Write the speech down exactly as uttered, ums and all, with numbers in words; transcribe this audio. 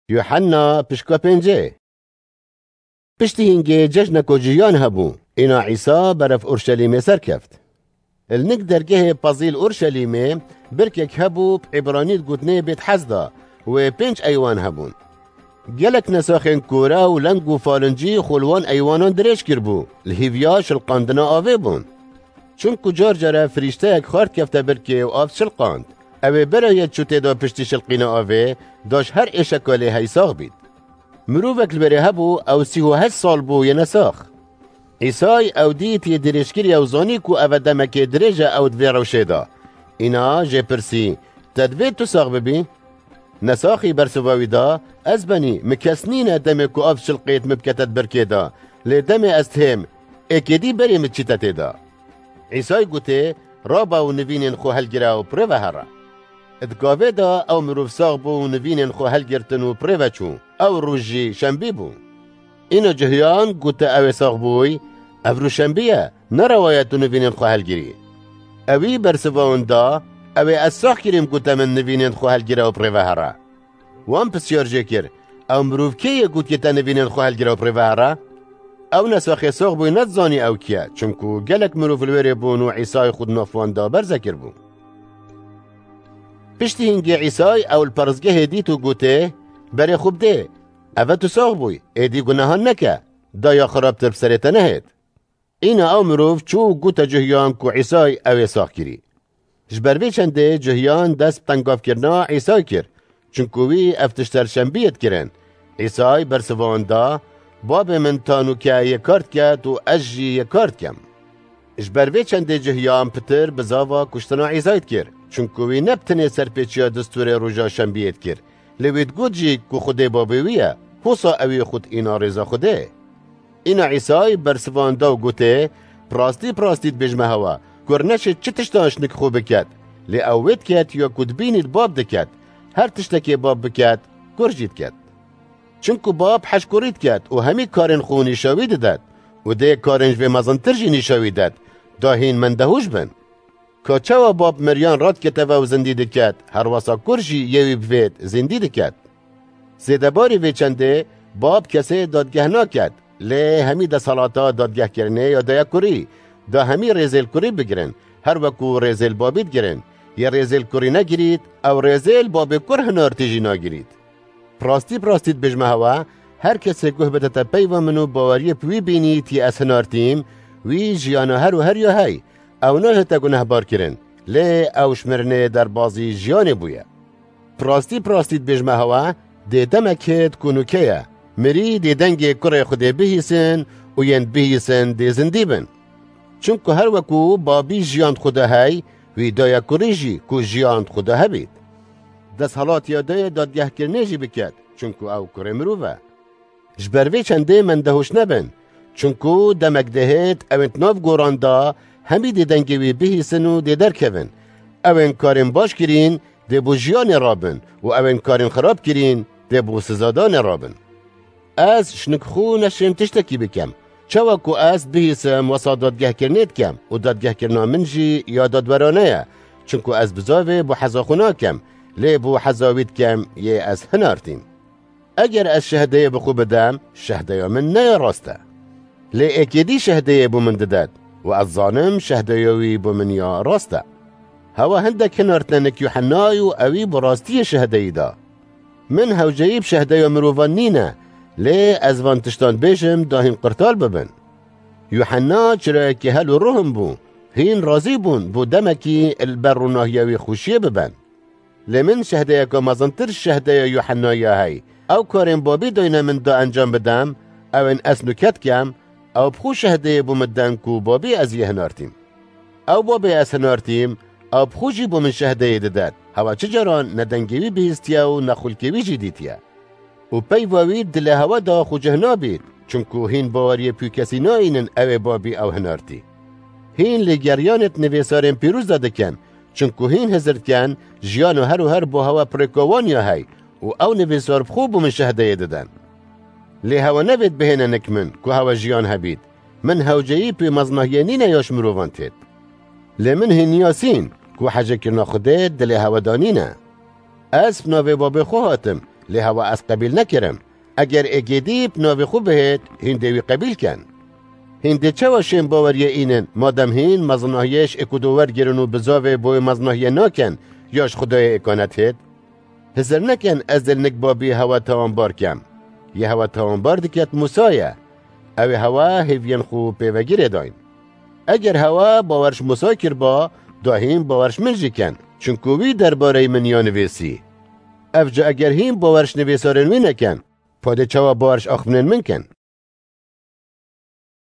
Yuhanna pişka pêncê. Piştî hîngê cejneko ciyan hebû, îna Îsa berev Urşelîmê serkeft. Li nik dergehê pezîl Urşelîmê birkek hebû, bi îbranî digotinê Bêthesda, wê pênc eywan hebûn. Gelek nesaxên kore û leng û falincî xwe li wan eywanan dirêj kiribû, li hîviya şilqandina avê bûn. Çimku car care firîşteyek xwar dikefte birkê û av şilqand. Ew ê bera yê çû tê de piştî şilqîna avê, da ji her êşeka lê hey sax bît. Mirovek li wêrê hebû, ew sî û heşt sal bû yê nesax. Îsay ew dît yê dirêjkirî ew zanî ku ev e demekê dirêj e ew di vê rewşê de. Îna jê pirsî, Te divê tu sax bibî? Nesaxî bersiva wî da, Ez benî, min kes nîne demê ku av şilqêt min bikete di birkê de, lê demê ez dihêm, êkê dî berê min çîte tê de. Îsay gotê, Rabe û nivînên xwe helgire û bi rê ve here. Di gavê de ew mirov sax bû û nivînên xwe helgirtin û bi rê ve çû. Ew roj jî şembî bû. Îna cihiyan gote ew ê sax bûy, Ev roj şembî ye, ne rewa ye tu nivînên xwe helgirî. Ewî bersiva wan da, Ew ê ez sax kirîm gote min nivînên xwe helgire û bi rê ve here. Wan pisyar jê kir, Ew mirov kê ye gotiye te nivînên xwe helgire û bi rê ve here? Ew nesaxê sax bûy nedizanî ew kî ye, çimku gelek mirov li wêrê bûn û Îsay xwe di nav wan de berze kiribû. Piştî hîngê Îsay ew li peristgehê dît û gotê, Berê xwe bidê, ev e tu sax bûy, êdî gunehan neke, daya xirabtir bi serê te nehêt. Îna ew mirov çû û gote cihiyan ku Îsay ew ê sax kirî. Ji ber vê çendê cihiyan dest bi tengavkirina Îsay kir, çimku wî ev tişt her şembiyê dikirin. Îsay bersiva wan da, Babê min ta nûke yê kar diket û ez jî yê kar dikim. Ji ber vê çendê cihiyan pitir bizava kuştina Îsay dikir, çimku wî ne bi tenê serpêçiya distûrê roja şembiyê dikir, lê wî digot jî ku Xwedê Babê wî ye, hosa ewî xwe diîna rêza Xwedê. Îna Îsay bersiva wan da û gotê, Bi rastî, bi rastî dibêjime hewa, kur neşê çi tiştan ji nik xwe biket, lê ew wê diket ya ku dibînît Bab diket, her tiştekê Bab biket, kur jî diket. Çimku Bab heş kurî diket û hemî karên xwe nîşa wî didet û dê karên ji vê mezintir jî nîşa wî det, da hîn mendehûş bin. Ka çawa Bab meriyan radiketeve û zindî diket, herwesa kur jî yê wî bivêt, zindî diket. Zêdebarî vê çendê, Bab kesê dadgeh naket, lê hemî desthilata dadgehkirinê ya daye kurî, da hemî rêzê li kurî bigirin, her weku rêzê li babî digirin. Yê rêzê li kurî negirît, ew rêzê li babê kur hinartî jî nagirît. Bi rastî, bi rastî dibêjime hewa, her kesê guh bidete peyva min û baweriyê bi wî bînît yê ez hinartîm, wî jiyana her û her ya hey, ew nahête gunehbar kirin, lê ew ji mirinê derbazî jiyanê bûye. Bi rastî, bi rastî dibêjime hewa, dê demek hêt ku nûke ye, mirî dê dengê kurê Xwedê bihîsin û yên bihîsin dê zindî bin. Çimku her weku babî jiyan di xwe de hey, wî daye kurî jî ku jiyan di xwe de hebît. Desthilatiya dayê dadgehkirinê jî biket, çimku ew kurê mirov e. Ji ber vê çendê mendehûş nebin, çimku demek dihêt ewên di nav goran de hemî dê dengê wî bihîsin û dê derkevin. Ewên karên baş kirîn dê bo jiyanê rabin û ewên karên xirab kirîn dê bo sizadanê rabin. Ez ji nik xwe neşêm tiştekî bikem. Çawa ku ez bihîsim wesa dadgehkirinê dikem û dadgehkirina min jî ya dadwerane ye, çimku ez bizavê bo heza xwe nakem, lê bo heza wî dikem yê ez hinartîm. Eger ez şehdeyê bi xwe bidem, şehdeya min ne ya rast e. Lê êkê dî şehdeyê bo min didet û ez zanim şehdeya wî bo min ya rast e. Hewa hindek hinartine nik Yuhennayê û ewî bi rastiyê şehdeyî da. Min hewceyî bi şehdeya mirovan nîne, lê ez van tiştan bêjim da hîn qirtal bibin. Yuhenna çirayekî hel û ruhin bû, hîn razî bûn bo demekî li ber ronahiya wî xweşiyê bibin. Lê min şehdeyeke mezintir ji şehdeya Yuhennayê ya hey. Ew karên babî dayne min da encam bidem, ewên ez nûke dikem, ew bi xwe şehdeyê bo min den ku babî ez yê hinartîm. Ew babê ez hinartîm, ew bi xwe jî bo min şehdeyê didet. Hewa çi caran ne dengê wî bihîstiye û ne xulkê wî jî dîtiye. Û peyva wî dilê hewa da xwe cih nabît, çimku hîn baweriyê pûkesî nayînin ew ê babî ew hinartî. Hîn lêgeriyanê di nivîsarên pîroz de dikin, çimku hîn hizir dikin, jiyan û her û her bo hewa pirêka wan ya hey û ew nivîsar bi xwe bo min şehdeyê didin. Lê hewa nevêt bihêne nik min, ku hewa jiyan hebît. Min hewceyî pê mezinahiyê nîne ya ji mirovan têt. Lê min hîn niyasîn, ku hejekirina Xwedê dilê hewa da nîne. Ez bi navê babê xwe hatim, Lê hewa ez qebîl nekirim. Eger êgêdî bi navê xwe bihêt, hîn dê wî qebîl ken. Hîn dê çawa şên baweriyê înin, madem hîn mezinahiyê ji êk û du wergirin û bizavê bo wê mezinahiyê nakin, ya ji Xwedayê êkane dihêt? Hizir nekin ez dê li nik babî hewa tawanbar kem. Yê hewa tawanbar diket Mûsa ye. Ew ê hewa hêviyên xwe pê ve girê dayn. Eger hewa bawer ji Mûsa kirba, da hîn bawer ji min jî ken, çunku wî derbareyî min ya nivîsî. Ev ca eger hîn bawer ji nivîsarên wî nekin, pa dê çawa bawer ji axiftinên min kin?